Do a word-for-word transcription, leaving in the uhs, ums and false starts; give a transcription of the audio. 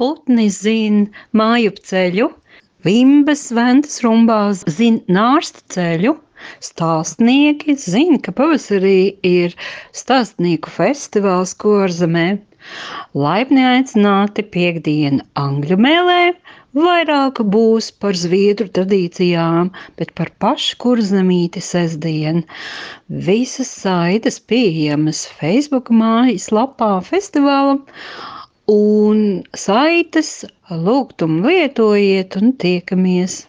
putni zin mājup ceļu, vimbas ventas rumbās zin nārsta ceļu, stāstnieki zin, ka pavasarī ir stāstnieku festivāls Kurzemē. Laipni aicināti piektdienu angļu mēlē, vairāk būs par zviedru tradīcijām, bet par pašu Kurzemīti sestdien. Visas saites pieejamas Facebook mājaslapā festivālam, un saites lūgtumu lietojiet un tiekamies!